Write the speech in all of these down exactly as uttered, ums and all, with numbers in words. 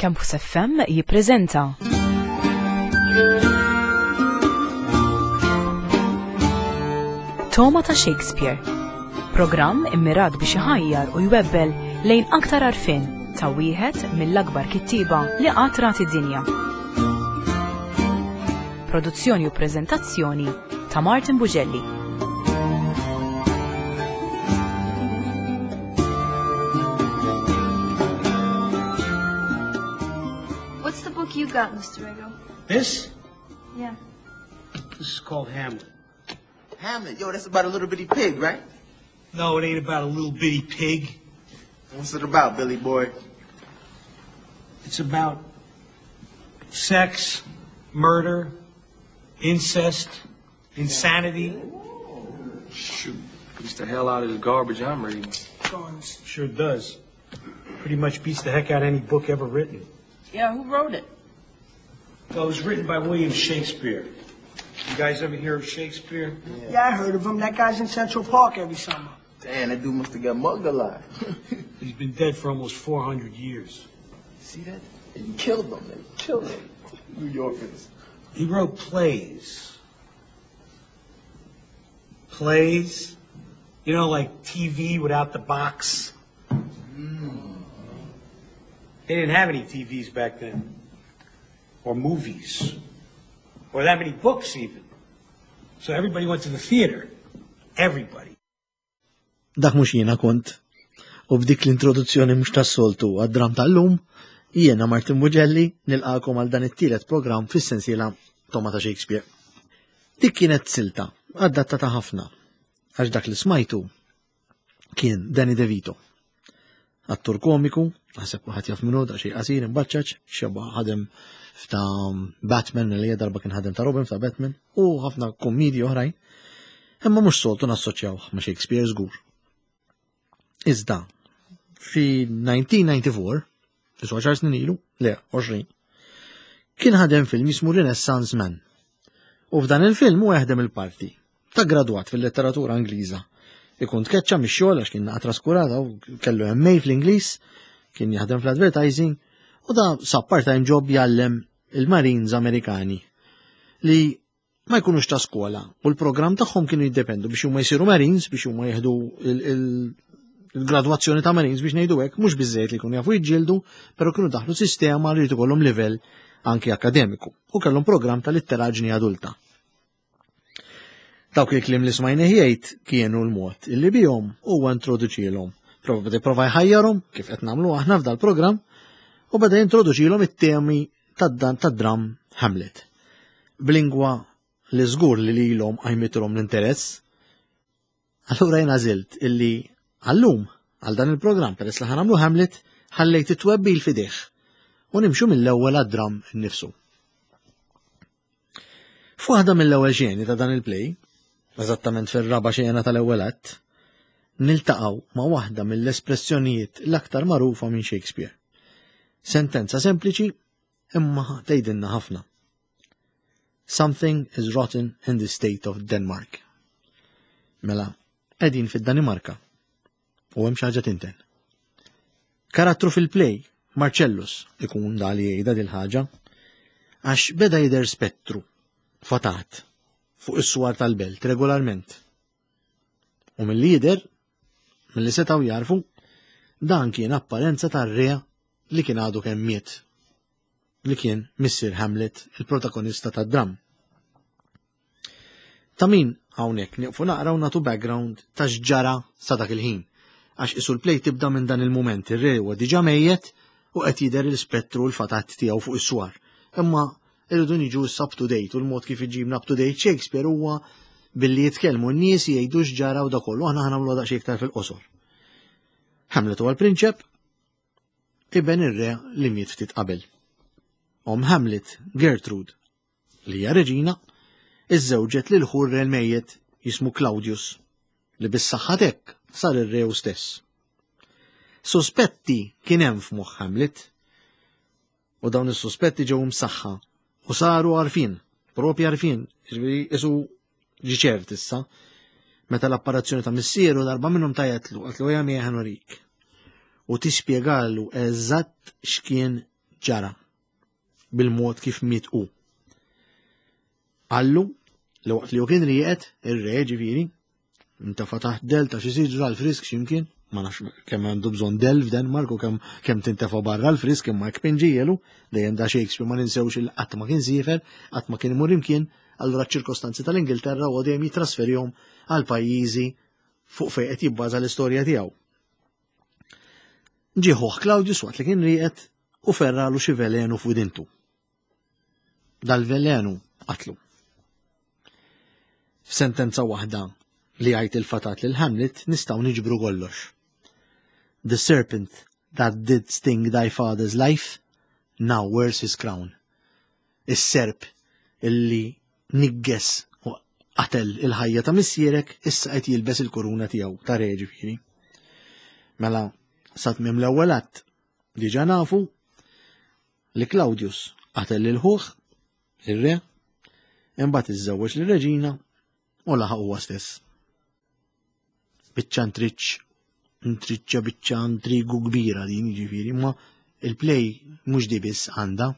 Campus F M jippreżenta Togħma ta' Shakespeare. Programm immirat biex iħajjar u jwebbel lejn aktar għarfien ta' wieħed mill-akbar kittieba li qatt rat id-dinja. Produzzjoni u preżentazzjoni ta' Martin Bugelli. What's the book you got, Mister Rego? This? Yeah. This is called Hamlet. Hamlet? Yo, that's about a little bitty pig, right? No, it ain't about a little bitty pig. What's it about, Billy boy? It's about sex, murder, incest, insanity. Shoot, beats the hell out of the garbage I'm reading. Guns. Sure does. Pretty much beats the heck out of any book ever written. Yeah, who wrote it? Well, it was written by William Shakespeare. You guys ever hear of Shakespeare? Yeah. Yeah, I heard of him. That guy's in Central Park every summer. Damn, that dude must have got mugged a lot. He's been dead for almost four hundred years. See that? They killed him. They killed him. New Yorkers. He wrote plays. Plays? You know, like T V without the box? Mm. They didn't have any T Vs back then. Or movies. Or that many books, even. So everybody went to the theater. Everybody. Dak mhux jiena kont. U b'dik l-introduzzjoni mhux tas-soltu għad-dram tal-lum, jiena Martin Bugelli nilqakom għal dan it-tielet programm fis-sensiela Togħma ta' Shakespeare. Dik kienet silta, adattata ħafna, għax dak li smajtu kien Danny DeVito. Attur komiku, naħseb kulħadd jaf minnu, da xi qasir imbaċċaċ, xeba ħadem f'ta' Batman, li darba kien ħadem ta' Robin f'ta' Batman, u ħafna kommedji oħrajn. Imma mhux soltu nassoċjaw ma' Shakespeare żgur. Iżda, fi elf disa' mija u disgħa u disgħin, isu għaxar snin ilu, le, għoxrin, kien ħadem film jismu Renaissance Man. U f'dan il-film hu jaħdem il-parti ta' gradwat fil-letteratura Ingliża. Ikun tkeċċa mix-xogħol għax kien naqra traskurata u kellu M A fl-Ingliż, kien jaħdem fl-advertising u da sab part-time job jgħallem il-Marines Amerikani li ma jkunux ta' skola u l-programm tagħhom kienu jiddependu biex huma jsiru Marines, biex huma jieħdu il-gradwazzjoni ta' Marines, biex ngħidu hekk, mhux biżejjed li jkunu jafu jiġġieldu, però kienu daħlu sistema li jrid ikollhom livell anki akademiku u kellhom programm ta' litteraġni adulta. Dawk il-kliem li smajna jgħid kienu l-mod illi bihom huwa introduċilhom. Prova beda prova jħajjarhom kif qed nagħmlu aħna f'dal programm u beda jintroduċilhom it-temi tad-dram Hamlet. B'lingwa li żgur li lilhom qajmitilhom l-interess. Allura jien għażilt illi għallum għal dan il-programm, peress li ħa nagħmlu Hamlet, ħallejt it-twebbil fideh u nimxu mill-ewwel għad-dram innifsu. F'waħda mill-ewwel xeni ta' dan il-play, eżattament fir-raba' xena tal-ewwel att, niltaqgħu ma' waħda mill-espressjonijiet l-aktar magħrufa minn Shakespeare. Sentenza sempliċi imma tgħidilna ħafna. "Something is rotten in the state of Denmark." Mela, qegħdin fid-Danimarka u hemm xi ħaġa tinten. Karattru fil-play, Marcellus, ikun da li jgħidha dil-ħaġa, għax beda jidher spettru, fatat, fuq is-swar tal-belt regolarment. U mill-lider, mill-li setgħu jarfu, dan kien apparenza tar-re li kien għadu kemm miet, li kien Missier Hamlet, il-protagonista tad-dram. Ta' min hawnhekk nieqfu naqra u nagħtu background ta' x'ġara sa dak il-ħin. Għax isu l-play tibda minn dan il-moment, ir-re huwa diġà mejjet u qed jidher l-ispettru l-fatat tiegħu fuq is-swar. Imma irridu niġu up to date u l-mod kif iġibna up to date Shakespeare huwa billi jitkellmu n-nies, jgħidu x'ġara u da kollu, aħna ħa nagħmlu daqsxejn iktar fil-qosor. Hamlet huwa l-prinċep, iben ir-re li miet ftit qabel. Om Hamlet, Gertrude, li hija reġina, iżżewġet lil ħu r-re l-mejjet jismu Claudius, li bis-saħħa t'hekk sar ir-re stess. Suspetti kien hemm f'moħħ Hamlet, u dawn is-suspetti ġew msaħħa u saru għarfien, propri għarfien, jiġifieri isu ġi ċert issa, meta l-apparizzjoni ta' missieru darba minnhom tajetlu, qaltlu: "Ejja miegħi, ħa nurik." U tispjegalu eżatt x'kien ġara bil-mod kif miet hu. Qallu li waqt li hu kien rieqed, ir-re ġifieri, intafa' taħt del ta' xi siġra l-frisk x'imkien, ma nafx kemm għandu bżonn del f'Denmark u kemm kemm tintefa' barra l-frisk imma hekk pinġielu, dejjem da Shakespeare ma ninsewx il qatt ma kien siefer, qatt ma kien imur imkien, allura ċ-ċirkostanzi tal-Ingilterra huwa dejjem jitrasferihom għal pajjiżi fuq fejn qed jibbaża l-istorja tiegħu. Ġie ħuh Claudius waqt li kien rieqed u ferralu xi velenu f'widintu. Dal-velenu qatlu. F'sentenza waħda li jgħid il-fatat lil Hamlet nistgħu niġbru kollox. The serpent that did sting thy father's life now wears his crown. Is-serp illi nigges u qatel il-ħajja ta' missierek issa qed jilbes il-kuruna tiegħu ta' re ġifieri. Mela sa tmiem l-ewwel att diġà nafu li Claudius qatel lil ħuh, ir-re, imbagħad iżżewweġ lir-reġina u laħaq huwa stess. Biċċa ntriċċ, ntriċċa biċċa intrigu kbira din jiġifieri, imma il-play mhux di biss għandha.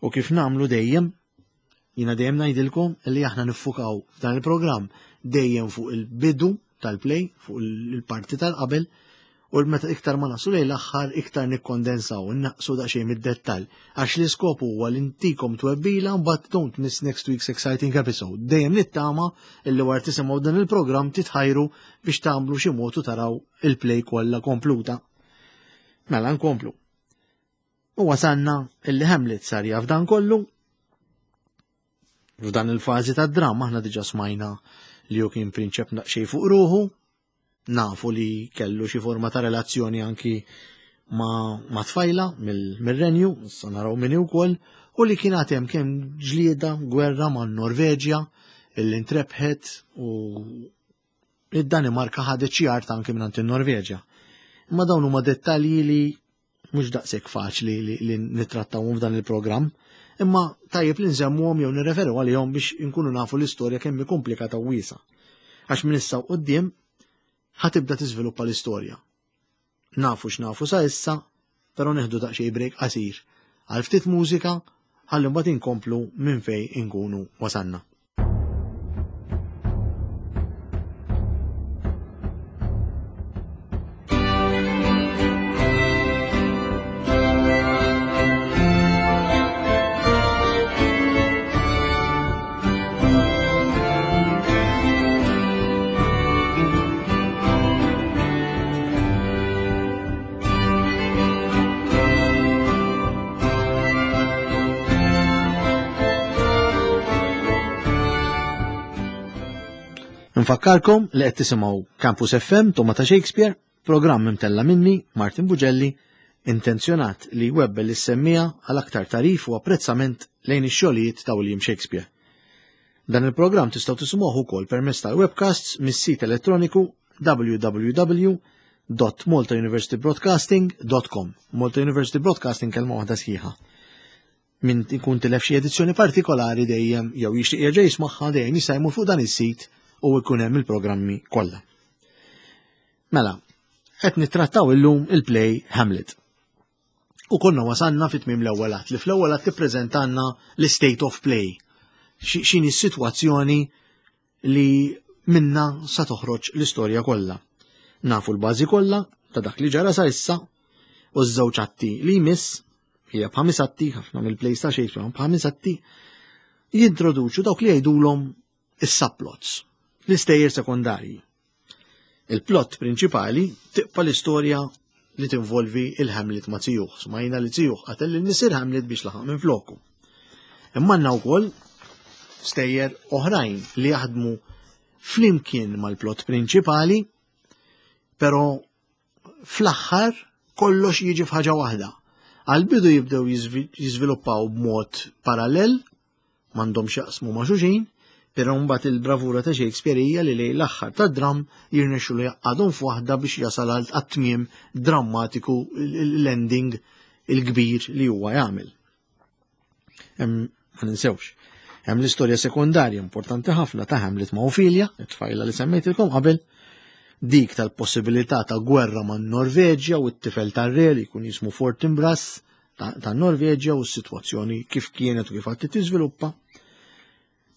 U kif nagħmlu dejjem, jiena dejjem ngħidilkom li aħna niffukaw f'dan il-programm dejjem fuq il-bidu tal-play, fuq il-parti tal-qabel, u meta iktar ma naslu lejn l-aħħar iktar nikkondensaw, innaqsu daqsxejn mid-dettall, għax l-iskop huwa li ntikom twebbila mbagħad don't miss next week's exciting episode. Dejjem nittama illi wara tisimgħu dan il-programm titħajru biex tagħmlu xi mod u taraw il-play kollha kompluta. Mela nkomplu. U wasanna illi Hamlet sar jaf dan kollu. F'dan il-fażi tad-dramma aħna diġà smajna li hu kien prinċep daqsxejn fuq ruħu, nafu li kellu xi forma ta' relazzjoni anki ma', ma tfajla mill-renju, issa naraw min ukoll, u li kien għad hemm kemm ġlieda gwerra ma' Norveġja illi ntrebħet u id-Danimarka ħadet xi art anki minn in-Norveġja. Imma dawn huma dettalji li mhux daqshekk faċli li, li nittrattawhom f'dan il-programm, imma tajjeb li nsemmuhom jew nirreferu għalihom biex inkunu nafu l-istorja kemm hi komplikata u wiesgħa. Għax minn issa u quddiem ħa tibda tiżviluppa l-istorja. Nafu x'nafu sa issa, però neħdu daqsxejn break qasir għal ftit mużika ħalli mbagħad inkomplu minn fejn inkunu wasanna. Nfakkarkom li qed tisimgħu Campus F M Togħma ta' Shakespeare, programm imtella minni Martin Bugelli, intenzjonat li jwebbel is-semmija għal aktar tarif u apprezzament lejn ix-xogħlijiet ta' William Shakespeare. Dan il-programm tistgħu tisimgħuh ukoll permezz tal-webcasts mis-sit elettroniku w w w dot malta university broadcasting dot com. Malta University Broadcasting kelma waħda sħiħa. Min ikun tilef xi edizzjoni partikolari dejjem jew jixtieq jerġa' jismagħha dejjem jista' jmur fuq dan is-sit u jkun hemm il-programmi kollha. Mela, qed nittrattaw illum il-play Hamlet. U konna wasanna fi tmiem l-ewwel att, li fl-ewwel att tippreżentanna l-state of play. X'inhi s-sitwazzjoni li minna sa toħroġ l-istorja kollha. Nafu l-bażi kollha ta' dak li ġara sa issa u ż-żewġ atti li jmiss, hija b'ħames atti, ħafna mill-plays ta' Shakespeare b'ħames atti, jintroduċu dawk li jgħidulhom is-subplots, l-istejjer sekondarji. Il-plot prinċipali tibqa' l-istorja li tinvolvi il-Hamlet ma' Zijuh. Smajna li Zijuh qatel lil missier Hamlet biex laħaq minn floku. Imma għandna wkoll stejjer oħrajn li jaħdmu flimkien mal-plot prinċipali, però fl-aħħar kollox jiġi f'ħaġa waħda. Għal-bidu jibdew jiżvi-, jiżviluppaw b'mod parallel, m'għandhomx jaqsmu ma' xulxin, però mbagħad il-bravura ta' Shakespeare hija li lejn l-aħħar tad-dramm jirnexxu li jaqgħadhom f'waħda biex jasal għal tmiem drammatiku, l-ending il-kbir li huwa jagħmel. Hemm, ma ninsewx, hemm l-istorja sekondarja importanti ħafna ta' Hamlet ma' Ophelia, it-tfajla li semmejtilkom qabel, dik tal-possibilità ta' gwerra ma' Norveġja u t-tifel tar-re li jkun jismu Fortinbras, tan-Norveġja u s-sitwazzjoni kif kienet u kif għad tiżviluppa.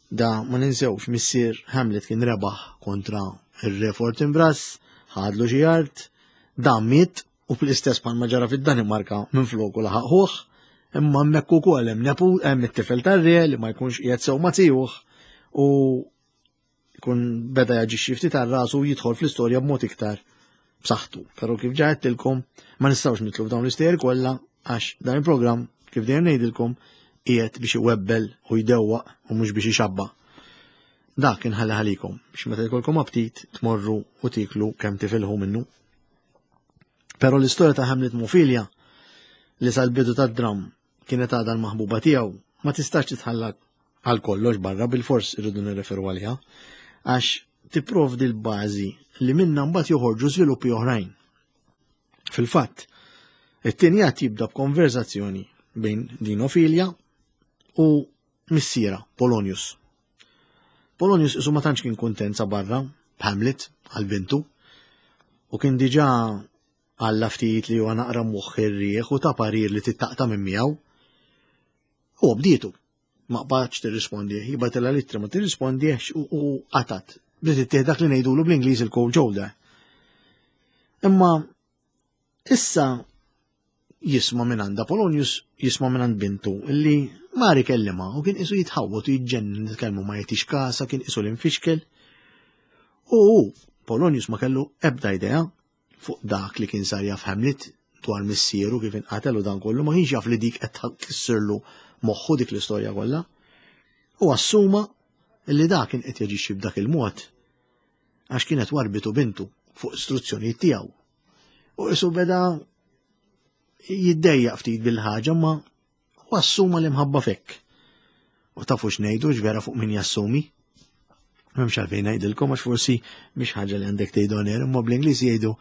Da ma ninsewx missier Hamlet kien rebaħ kontra ir-re Fortinbras, ħadlu xi art, dan miet u bl-istess bħalma ġara fid-Danimarka minfloku laħaq ħuh, imma hemmhekk ukoll hemm nepu hemm it-tifel tar-re li ma jkunx qiegħed sew ma' tiegħu u jkun beda jaġixxi ftit għal rasu u jidħol fl-istorja b'mod iktar b'saħħtu. Però kif ġa għedtilkom ma nistgħux nidħlu f'dawn l-istejjer kollha għax dan il-programm kif dejjem ngħidilkom qiegħed biex iwebbel u jdewwaq u mhux biex ixabba. Dak inħalli ħalikom biex meta jkollkom aptit tmorru u tiklu kemm tifilħu minnu. Però l-istorja ta' Hamlet m'Ophelia li sal-bidu tad-dram kienet għadha l-maħbuba tiegħu ma tistax titħalla għal kollox barra, bil-fors irridu nirreferu għaliha għax tipprovdi l-bażi li minna mbagħad joħorġu żviluppi oħrajn. Fil-fatt, it-tieni att jibda b'konverzazzjoni bejn din Ophelia u missiera Polonius. Polonius isu ma tantx kien kuntent sa barra b'Hamlet għal bintu u kien diġà għalla ftit li huwa naqra moħħ ir-rieħ u ta' parir li tittaqta' minn miegħu. U bdietu, ma qbadx tirrispondi, jibgħatilha littra ma tirrispondiex u, u qatat. Bdiet ittieħ dak li ngħidulu bl-Ingliż il-cold shoulder. Imma issa jisma' minn għandha Polonius, jisma' minn għand bintu illi Mari kellima u kien isu jitħawwad u jiġġennen nitkellmu ma jagħtix kasa, kien isu l-infixkel. U hu, Polonius ma kellu ebda idea fuq dak li kien sar jaf Hamlet dwar missieru kif inqatel u dan kollu, ma kienx jaf li dik qed tkissirlu moħħu dik l-istorja kollha. U assuma li dak kien qed jaġixxi b'dak il-mod għax kienet warbitu bintu fuq istruzzjonijiet tiegħu. U isu beda jiddejjaq ftit bil-ħaġa ma u assuma l-imħabba fekk. U tafu x'ngħidu x'vera fuq min jassumi? M'hemmx għalfejn ngħidilkom għax forsi mhix ħaġa li għandek tgħidu on air, imma bl-Ingliż jgħidu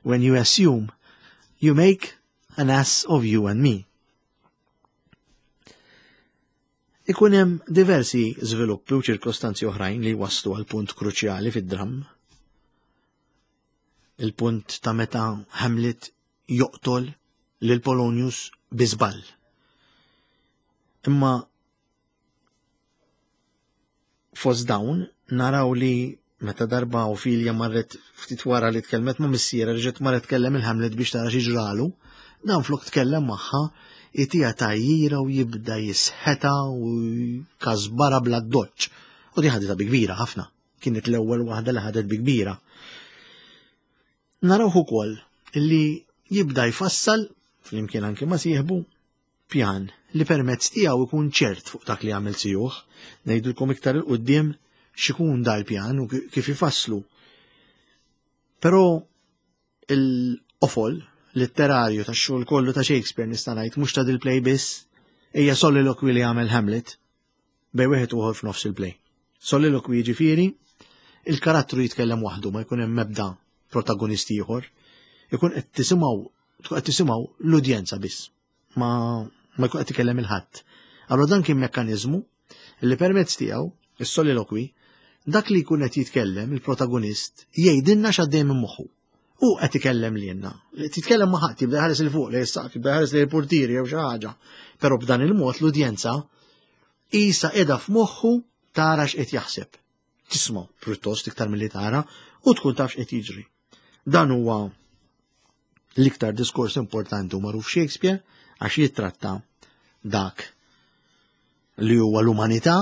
when you assume you make an ass of you and me. Ikun hemm diversi żviluppi u ċirkostanzi oħrajn li waslu għal punt kruċjali fid-dramm. Il-punt ta' meta Hamlet joqtol lil Polonius bi żball. Imma fost dawn naraw li meta darba Ophelia marret ftit wara li tkellmet ma' missiera reġgħet marret tkellem il-Hamlet biex tara xi ġralu, dan flok tkellem magħha itija tajjira u jibda jisħeta u kazbara bla doċ. U di ħaditha bi kbira ħafna. Kienet l-ewwel waħda li ħadet bi kbira. Narawh ukoll li jibda jfassal flimkien anke ma' sieħbu pjan li permezz tiegħu ikun ċert fuq dak li għamel sijuh. Ngħidulkom iktar il quddiem x'ikun dal-pjan u kif ifasslu. Però il-qofol letterarju tax-xogħol kollu ta' Shakespeare nista' ngħid mhux ta' dil-play biss, hija soliloquy li għamel Hamlet bejn wieħed u ieħor f'nofs il-play. Soliloquy jiġifieri il-karattru jitkellem waħdu ma jkun hemm ebda protagonist ieħor, ikun qed tisimgħu tkun qed tisimgħu l-udjenza biss, ma ma jkun qed ikellem il-ħadd. Allura dan kien mekkaniżmu li permezz tiegħu is-soliloquy dak li jkun qed jitkellem il-protagonist jgħidilna x'għaddej minn moħħu. U qed ikellem lilna. Li titkellem ma' ħadd, jibda jħares il fuq lejn is-saqaf, jibda jħares lejn il-portieri jew xi ħaġa. Però b'dan il-mod l-udjenza qisha qiegħda f'moħħu tara x'qed jaħseb. Tisma' pjuttost iktar milli tara u tkun taf x'qed jiġri. Dan huwa l-iktar diskors importanti u magħruf Shakespeare għax jittratta dak li huwa l-umanità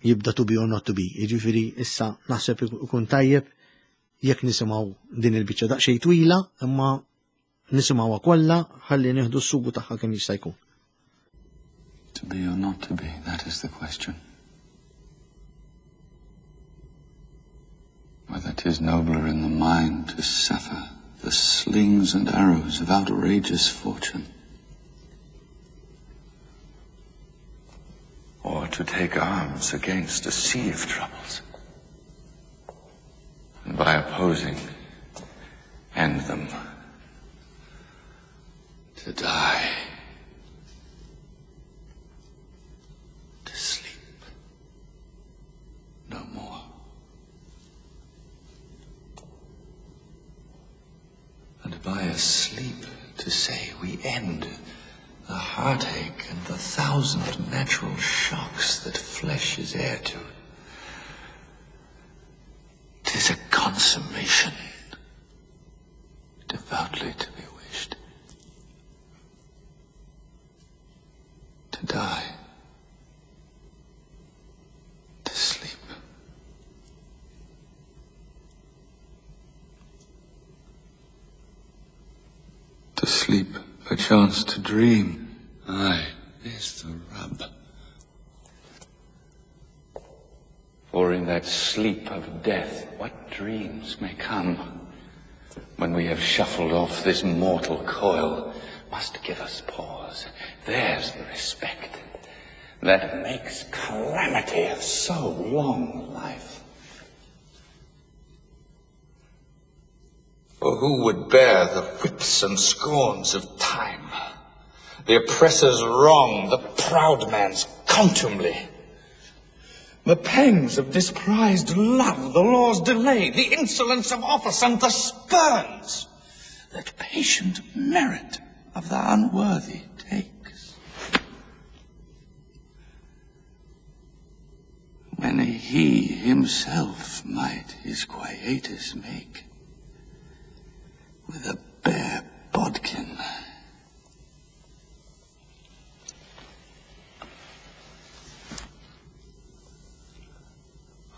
jibda to be or not to be. Jiġifieri issa naħseb ikun tajjeb jekk nisimgħu din il-biċċa daqsxejn twila, imma nisimgħuha kollha ħalli nieħdu s-sugu tagħha kemm jista' jkun. To be or not to be, that is the question. Whether 'tis nobler in the mind to suffer the slings and arrows of outrageous fortune, or to take arms against a sea of troubles, and by opposing, end them, to die, to sleep no more. And by a sleep to say we end heartache and the thousand natural shocks that flesh is heir to. 'Tis a consummation devoutly to be wished. To die. To sleep. To sleep, perchance to dream. Aye, there's the rub. For in that sleep of death, what dreams may come when we have shuffled off this mortal coil must give us pause. There's the respect that makes calamity of so long life. For who would bear the whips and scorns of time, the oppressor's wrong, the proud man's contumely, the pangs of disprized love, the law's delay, the insolence of office, and the spurns that patient merit of the unworthy takes? When he himself might his quietus make with a bare bodkin.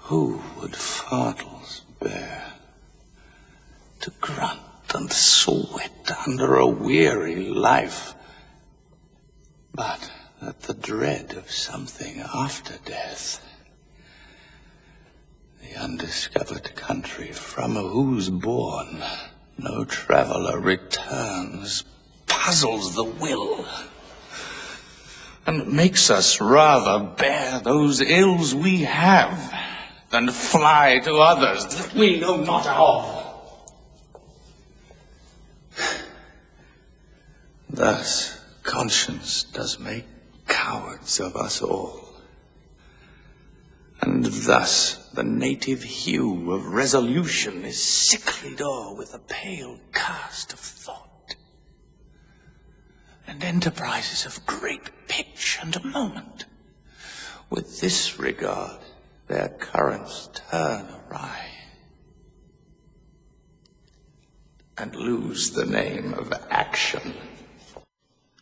Who would fardels bear to grunt and sweat under a weary life, but that the dread of something after death, the undiscovered country from whose bourne no traveller returns, puzzles the will, and makes us rather bear those ills we have than fly to others that we know not of. Thus conscience does make cowards of us all, and thus the native hue of resolution is sicklied o'er with a pale cast of thought, and enterprises of great pitch and moment with this regard their currents turn awry and lose the name of action.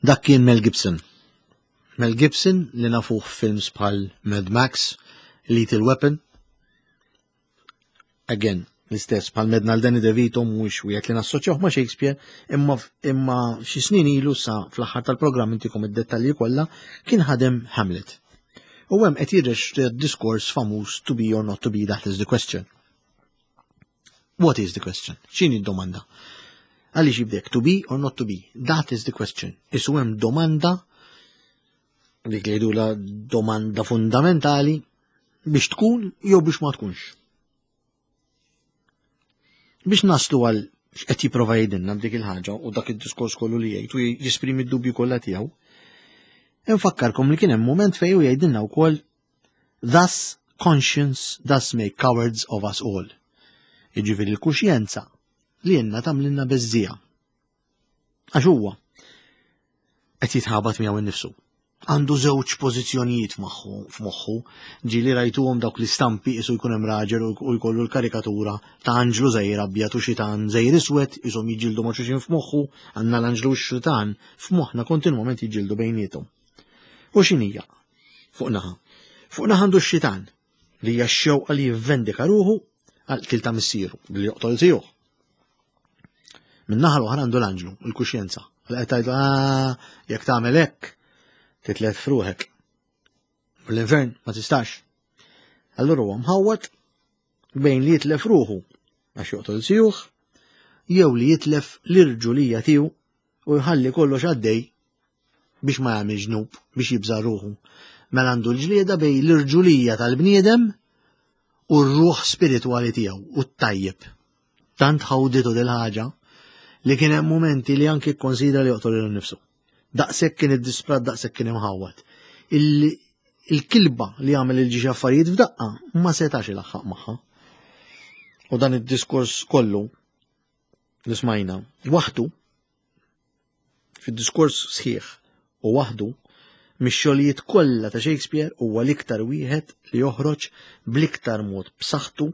Dak kien Mel Gibson. Mel Gibson li nafuh films bħal Mad Max, Lethal Weapon. Again, l-istess bħal medna l-Danny DeVito mhuwiex wieħed li nassoċjawh ma' Shakespeare, imma imma xi snin ilu sa fl-aħħar tal-programm intikom id-dettalji kollha kien ħadem Hamlet. U hemm qed jirrex diskors famuż to be or not to be, that is the question. What is the question? X'inhi d-domanda? Għaliex jibdek to be or not to be? That is the question. Isu hemm domanda dik li jgħidula domanda fundamentali biex tkun jew biex ma tkunx. Biex naslu għal x'qed jipprova jgħidilna b'dik il-ħaġa u dak id-diskors kollu li jgħid u jesprimi d-dubju kollha tiegħu. Infakkarkom li kien hemm mument fejn hu jgħidilna wkoll thus conscience does make cowards of us all. Jiġifieri l-kuxjenza li jenna tagħmlilna beżżija. Għax huwa qed jitħabat miegħu innifsu. Għandu żewġ pożizzjonijiet f'moħħu, ġieli rajtuhom dawk l-istampi isu jkun hemm raġel u jkollu l-karikatura ta' anġlu żgħir abjad u xitan żgħir iswed ishom jiġġieldu ma' xulxin f'moħħu, għandna l-anġlu u x-xitan f'moħħna kontinwament jiġġieldu bejniethom. U x'inhija? Fuq naħa. Fuq naħa għandu x-xitan li hija x-xewqa li jivvendika ruħu għal qtil ta' missieru billi joqtol tiegħu. Min-naħa l-oħra għandu l-anġlu, il-kuxjenza. Għal qed tgħidlu, ah, jekk tagħmel hekk, titlet f'ruħek. U l-infern ma tistax. Allura huwa mħawwad bejn li jitlef ruħu għax joqtol sijuħ, jew li jitlef l-irġulija tiegħu u jħalli kollox għaddej biex ma jagħmel ġnub, biex jibża' ruħu. Mela għandu l-ġlieda bejn l-irġulija tal-bniedem u r-ruħ spiritwali tiegħu u t-tajjeb. Tant ħawditu dil-ħaġa li kien hemm mumenti li anki kkonsidra li joqtol lilu nnifsu. Daqshekk kien iddisprat, daqshekk kien imħawwad. Il-kilba li għamel il-ġiex affarijiet f'daqqa ma setax ilaħħaq magħha. U dan id-diskors kollu li smajna waħdu fid-diskors sħiħ u waħdu mix-xogħlijiet kollha ta' Shakespeare huwa l-iktar wieħed li joħroġ bl-iktar mod b'saħħtu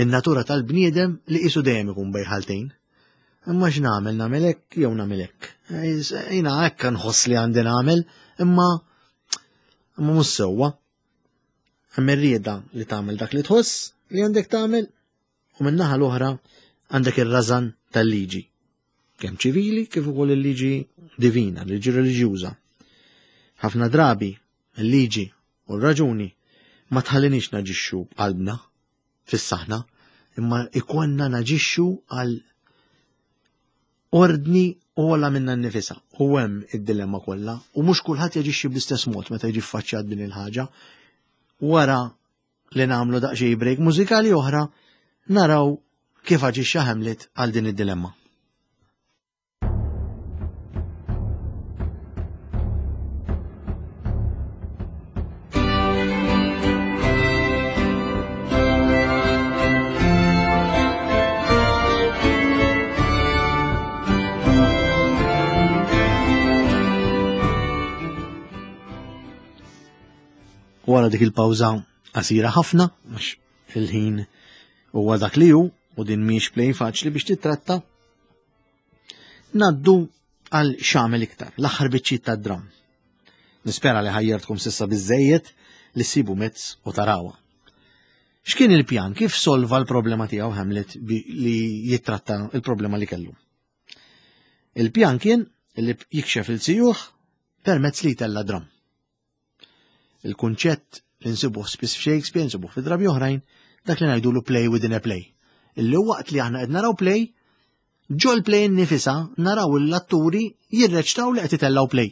in-natura tal-bniedem li qisu dejjem ikun bejn ħaltejn. Imma x'nagħmel nagħmel hekk jew nagħmel hekk. Jiena hekk nħoss li għandi nagħmel, imma imma mhux sewwa. Hemm ir-rieda li tagħmel dak li tħoss li għandek tagħmel u min-naħa l-oħra għandek ir-rażan tal-liġi. Kemm ċivili kif ukoll il-liġi divina, l-liġi reliġjuża. Ħafna drabi il-liġi u r-raġuni ma tħallinix naġixxu b'qalbna fis-saħna, imma ikonna naġixxu għal ordni ogħla minna nnifisha. U hemm id-dilemma kollha u mhux kulħadd jaġixxi bl-istess mod meta jiġi ffaċċjat din il-ħaġa. Wara li nagħmlu daqsxejn break mużikali oħra, naraw kif aġixxa Hamlet għal din id-dilemma. Wara dik il-pawża qasira ħafna, għax il-ħin huwa dak li hu u din mhix play faċli biex titratta, naddu għal x'għamel iktar, l-aħħar biċċiet tad-dram. Nispera li ħajjartkom sissa biżejjed li ssibu mezz u tarawha. X'kien il-pjan? Kif solva l-problema tiegħu Hamlet li jittratta l-problema li kellu? Il-pjan kien li jikxef il-sijuħ permezz li jtella' dram. Il-kunċett li nsibuh spiss f'Shakespeare, nsibuh fi drabi oħrajn, dak li ngħidulu play within a play. Illi waqt li aħna qed naraw play, ġol play nnifisha naraw l-atturi jirreċtaw li qed itellgħu play.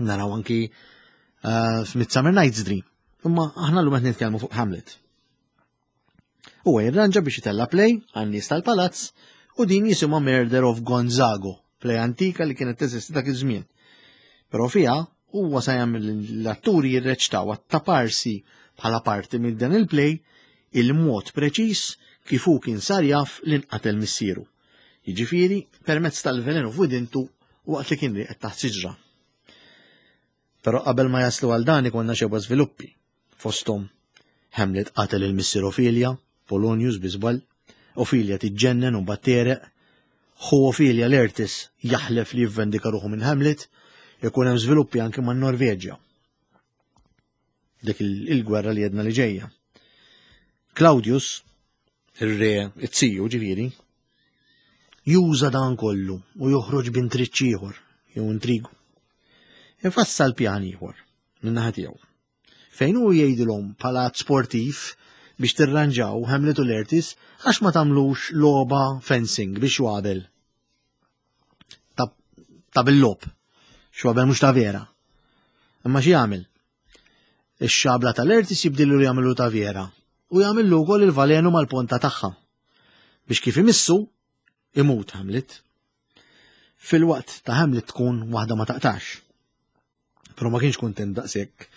Naraw anki uh, f'Midsummer Night's Dream. Imma aħna llum qed nitkellmu fuq Hamlet. Huwa jirranġa biex itella' play għan-nies tal-palazz u din jisimha Murder of Gonzago, play antika li kienet teżisti dak iż-żmien. Però fiha huwa sa jagħmel l-atturi jirreċtaw għat-taparsi bħala parti minn dan il-play il-mod preċiż kif hu kien sar jaf li nqatel missieru. Jiġifieri permezz tal-velenu f'widintu waqt li kien rieqed taħt siġra. Però qabel ma jaslu għal dan ikollna xebgħa żviluppi. Fosthom Hamlet qatel il-missier Ophelia, Polonius bi żball, Ophelia tiġġennen u mbagħad tereq, ħu Ophelia Laertes jaħlef li jivvendika ruħu minn Hamlet, ikun hemm żviluppi anke man-Norveġja. Dik il-gwerra li jedna li ġejja. Claudius, ir-re, it-siju ġifieri, juża dan kollu u joħroġ b'intriċċ ieħor jew intrigu. Ifassal pjan ieħor min-naħa tiegħu. Fejn hu jgħidilhom bħala sportiv biex tirranġaw Hamlet u Laertes għax ma tagħmlux logħba fencing biex xwabel. Ta' bil-lob. Xwabel mhux ta' vera. Imma xi jagħmel? Ix-xabla tal-Laertes jibdilu li jagħmlu ta' vera u jagħmillu wkoll il-valenu mal-ponta tagħha. Biex kif imissu imut Hamlet. Fil-waqt ta' Hamlet tkun waħda ma taqtax. Però ma kienx kuntent daqshekk.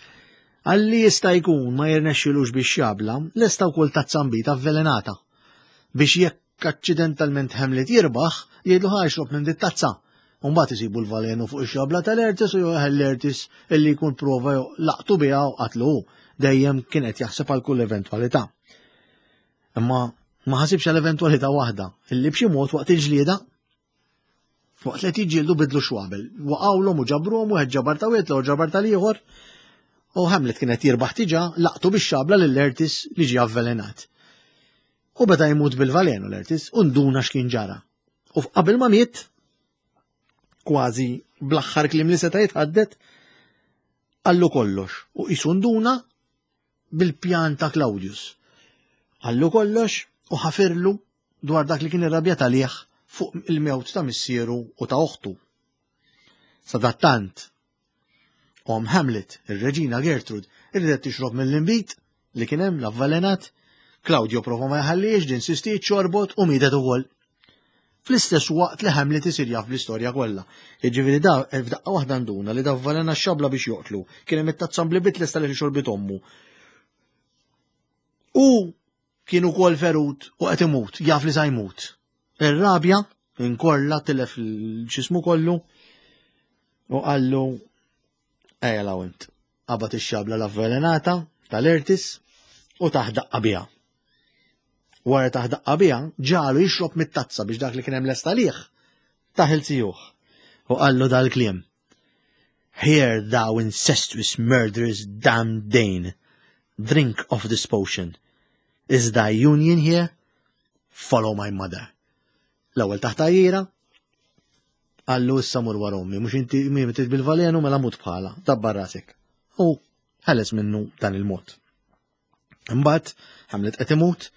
Għalli jista' jkun ma jirnexxilux biex xabla, lesta wkoll tazza nbid avvelenata. Biex jekk aċċidentalment Hamlet jirbaħ, jgħidlu ħa xrob minn dit tazza. U mbagħad isibu l-valenu fuq ix-xabla tal-Laertes u joħel Laertes illi jkun prova laqtu biha u qatlu hu. Dejjem kien qed jaħseb għal kull eventwalità. Imma ma ħasibx għal eventwalità waħda, illi b'xi mod waqt il-ġlieda waqt li qed jiġġieldu bidlu xwabel, waqgħulhom u ġabruhom wieħed ġabar ta' wieħed l-ieħor ġabar tal-ieħor. U Hamlet kien qed jirbaħ diġà laqtu bix-xabla lil Laertes li ġie avvelenat. U beda jmut bil-valenu Laertes u nduna x'kien ġara. U qabel ma miet, kważi bl-aħħar kliem li seta' jitħaddet, qallu kollox u qisu nduna bil-pjan ta' Claudius. Qallu kollox u ħafirlu dwar dak li kien irrabjat għalih fuq il-mewt ta' missieru u ta' oħtu. Sadattant, omm Hamlet, ir-reġina Gertrude, irridet tixrob mill-inbid li kien hemm l-avvelenat, Claudio prova ma jħallix, din insistiet xorbot u mietet ukoll. Fl-istess waqt li Hamlet isir jaf l-istorja kollha. Jiġifieri da f'daqqa waħda nduna li da avvelena x-xabla biex joqtlu, kien hemm it-tazza mblibit lesta li xorbit ommu. U kien ukoll ferut u qed imut, jaf li sa jmut. Ir-rabja inkorla tilef x'ismu kollu U qallu ejja law int. Qabad ix-xabla l-avvelenata tal-Ertis u tah daqqa biha. Wara tah daqqa biha, ġagħlu jixrob mit-tazza biex dak li kien hemm lest għalih tah 'il zijuh. U qallu dal-kliem. Hear thou incestuous murderous damned Dane, drink of this potion. Is thy union here? Follow my mother. L-ewwel tah tgħajjira, qallu issa mur wara ommi, mhux inti miet bil-velenu mela mut bħala, dabbar rasek. U ħeles minnu dan il-mod. Imbagħad Hamlet qed imut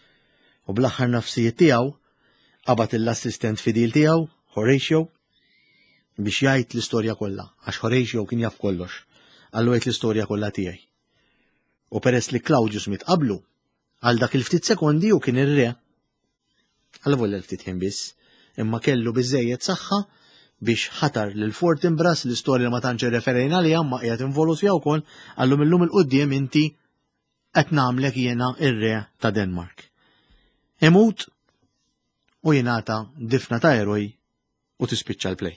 u bl-aħħar nafsijiet tiegħu qabad l-assistent fidil tiegħu, Horatio, biex jgħid l-istorja kollha, għax Horatio kien jaf kollox. Qallu għid l-istorja kollha tiegħi. U peress li Claudius miet qablu, għal dak il-ftit sekondi u kien ir-re. Għal volja l-ftit ħin biss, imma kellu biżejjed saħħa biex ħatar lil Fortinbras l-istorja li ma tantx referejna li ma qiegħed involut fiha wkoll, qallu millum 'il quddiem inti qed nagħmlek jiena ir-re ta' Denmark. Imut u jingħata difna ta' eroj u tispiċċa l-play.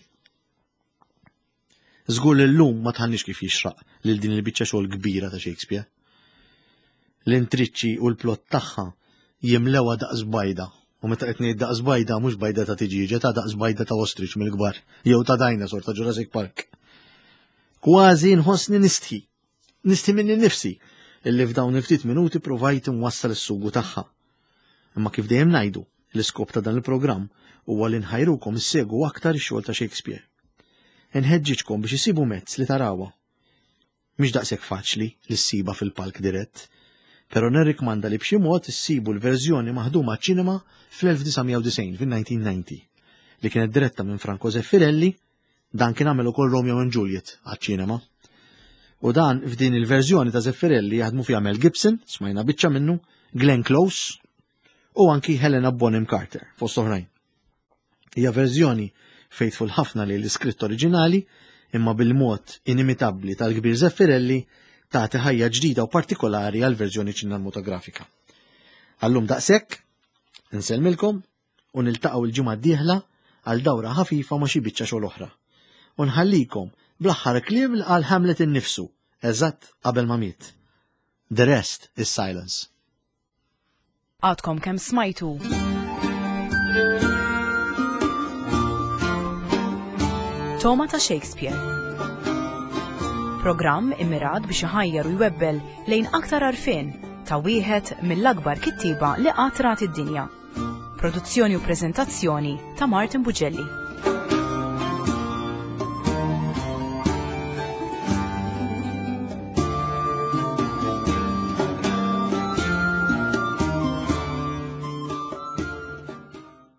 Żgur li llum ma tħannix kif jixraq lil din il-biċċa xogħol kbira ta' Shakespeare. L-intriċċi u l-plot tagħha jimlewha daqs bajda. U meta qed ngħid daqs bajda mhux bajda ta' tiġieġa, ta' daqs bajda ta' ostrich mill-kbar, jew ta' dinosaur ta' Jurassic Park. Kważi nħossni nistħi. Nistħi minni nifsi illi f'dawn il-ftit minuti provajt nwassal is-sugu tagħha. Imma kif dejjem ngħidu, l-iskop ta' dan il-programm huwa li nħajrukom issegwu aktar ix-xogħol ta' Shakespeare. Inħeġġiġkom biex isibu mezz li tarawha. Mhix daqshekk faċli li ssiba fil-palk dirett, però nirrikmanda li b'xi mod issibu l-verżjoni maħduma ċinema fl-elf disa' mija u disgħin, fil-nineteen ninety, li kienet diretta minn Franco Zeffirelli, dan kien għamel ukoll Romeo and Juliet għaċ-ċinema. U dan f'din il-verżjoni ta' Zeffirelli jaħdmu fiha Mel Gibson, smajna biċċa minnu, Glenn Close u anki Helena Bonham Carter, fost oħrajn. Hija verżjoni faithful ħafna li l-iskritt oriġinali, imma bil-mod inimitabbli tal-kbir Zeffirelli tagħti ħajja ġdida u partikolari għal verżjoni ċinematografika. Għallum daqshekk, insellmilkom u niltaqgħu l-ġimgħa d-dieħla għal dawra ħafifa ma' xi biċċa xogħol oħra. U nħallikom bl-aħħar kliem li qal Hamlet innifsu, eżatt qabel ma miet. The rest is silence. Għadkom kemm smajtu. Toma ta' Shakespeare. Programm immirat biex iħajjar u jwebbel lejn aktar għarfien ta' wieħed mill-akbar kittieba li qatt rat id-dinja. Produzzjoni u preżentazzjoni ta' Martin Bugelli.